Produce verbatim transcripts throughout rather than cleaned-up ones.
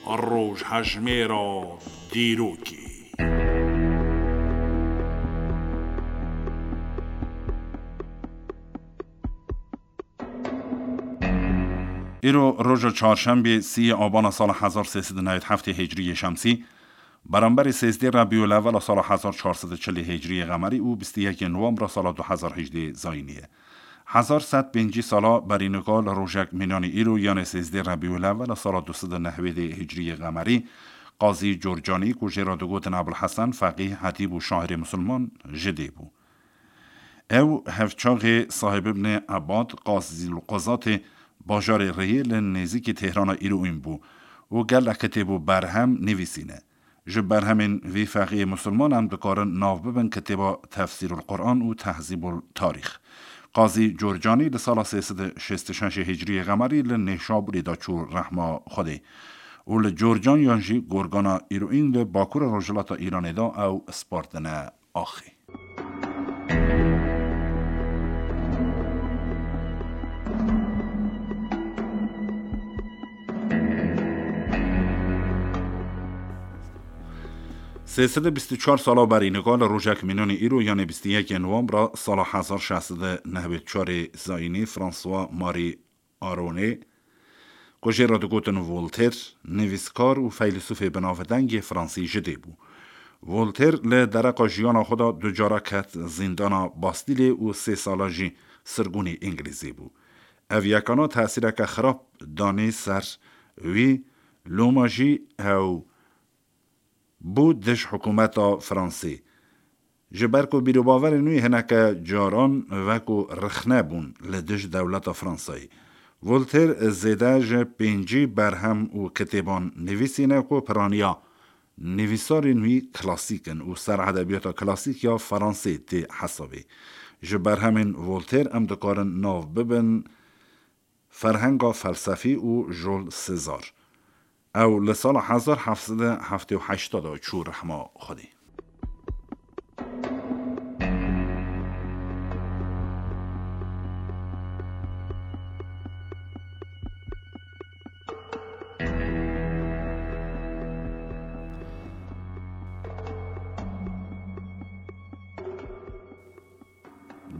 Rojhejmêra dîrokê. Îro roja çarşembê, sîyê abana sala hezar sê sed û newêd heftê hicriyê şemsî, beramberî sêzdê Rebîul Ewwela sala hezar çar sed û çilê hicriyê qemerî û bîst û yekê nowembra sala du hezar hejdê zayînî ye. Hezar sed pêncî sala berî nika li rojek mînanî îro, yanê sêzdê Rebîul Ewwela sala du sed û nehwêdê hicriyê qemerî, Qazî Corcanî, ku jê re digotin Ebul Hesen, feqîh, hetîb û şairê misilman, ji dê bû. Ew hevçaxê Sahib Ibnê Ebad, Qazîl Quzatê bajarê Riyê li nêzîkî Têhrana îroyîn bû û gelek kitêb û berhem nivîsîne. Ji berhemên vî feqîyê misilman em dikarin nav bibin kitêba Tefsîrul Quran û Tehzîbul Tarîx. Qazî Corcanî li sala sê sed û şêst û şeş hicriyê qemerî li Nêşabûrê de çû rehma Xwedê û li Corcan yan jî Gorgana îroyîn li bakurê rojhilata Îranê de ew spartine axê. Sê sed û bîst û çar sala berî nika li rojek mînanî îro, yanê bîst û yekê nowembra sala hezar şeş sed û newêd û çarê zayînî, François Marie Aronê, ku jê re digotin Voltaire, nivîskar û feylesûfê binavdengê fransî ji dê bû. Voltaire li dereqa jiyana xwe de du cara ket zîndana Bastîlê û sê sala jî sirgûnê Îngilîzê bû. Ev yekana tesîreke xirab danî ser wî, loma jî ew bû dij hikûmeta Fransê. Ji ber ku bîrobaverên wî hineke caran wekû rixne bûn li dij dewleta Fransayê. Voltaire zêde ji pêncî berhem û kitêban nivîsîne ku piraniya nivîsarên wî klasîk in û ser edebiyata klasîk ya Fransê tê hesabê. Ji berhemên Voltaire em dikarin nav bibin Ferhenga felsefî û Jules César. Ew li sala hezar heft sed û heftê û heşt de çû rehma Xwedê.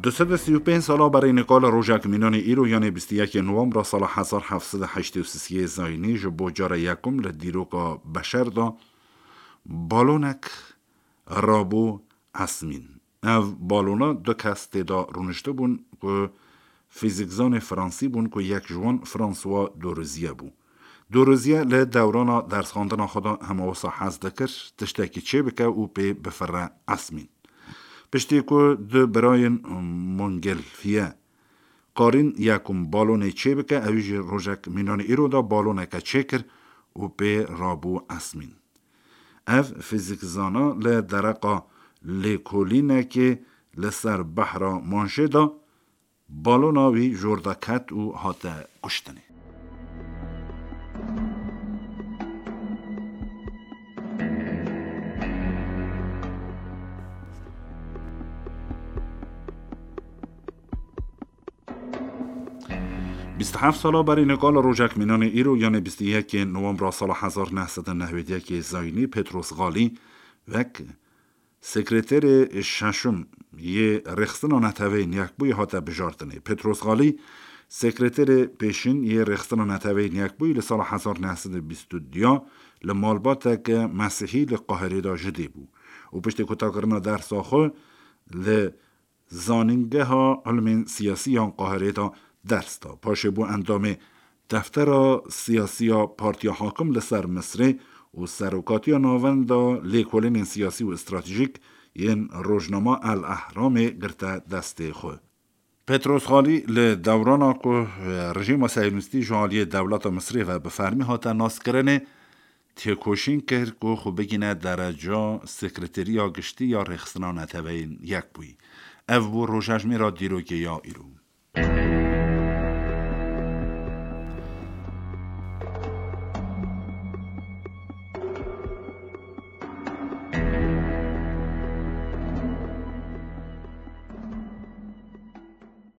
Du sed û sî û pênc sala berî nika li rojek mînanê îro, yanê bîst û yekê nowembra sala hezar heft sed û heştê û sisê zayînî, ji bo cara yekum li dîroka beşer de balonek rabû esmîn. Ev balona du kes tê de rûniştibûn ku fîzîkzanê fransî bûn ku yek ji wan François Dorozî bû. Dorozî li dewrana dersxwendina xwe de hema wisa hez dikir tiştekî çêbike û pê bifire esmîn. Piştî ku du birayên Montgolfier karîn yekum balonê çêbike, ew jî rojek mînanê îro de baloneke çêkir û pê rabû esmîn. Ev fîzîkzana li dereqa lêkolînekê li ser behra Manşê de balona wî jor de ket û hate kuştinê. Bîst û heft sala berî nika li rojek mînanê îro, yanê bîst û yekê nowembra sala hezar neh sed û newêd û yekê zayînî, Petros Xalî wek sekreterê şeşim yê Rêxistina Neteweyên Yekbûyî hate bijartinê. Petros Xalî, sekreterê pêşîn yê Rêxistina Neteweyên Yekbûyî, li sala hezar neh sed û bîst û du ya li malbateke mesîhî li Qahirê de ji dê bû û piştî kutakirina dersa xwe li Zanîngeha Ilmên Siyasî ya Qahirê de ders da. Paşê bû endamê Deftera Siyasî ya Partiya Hakim li ser Misrê û Serokatiya Navenda Lêkolînên Siyasî û Stratejîk yên rojnama El Ehramê girte destê xwe. Petros Xalî li dewrana ku rejîma Sehyonîstî ji aliyê dewleta Misrê ve bi fermî hate naskirinê, têkoşîn kir ku xwe bigîne dereca Sekreteriya Giştî ya Rêxistina Neteweyên Yekbûyî. Ev bû rojejmêra dîrokê ya îro.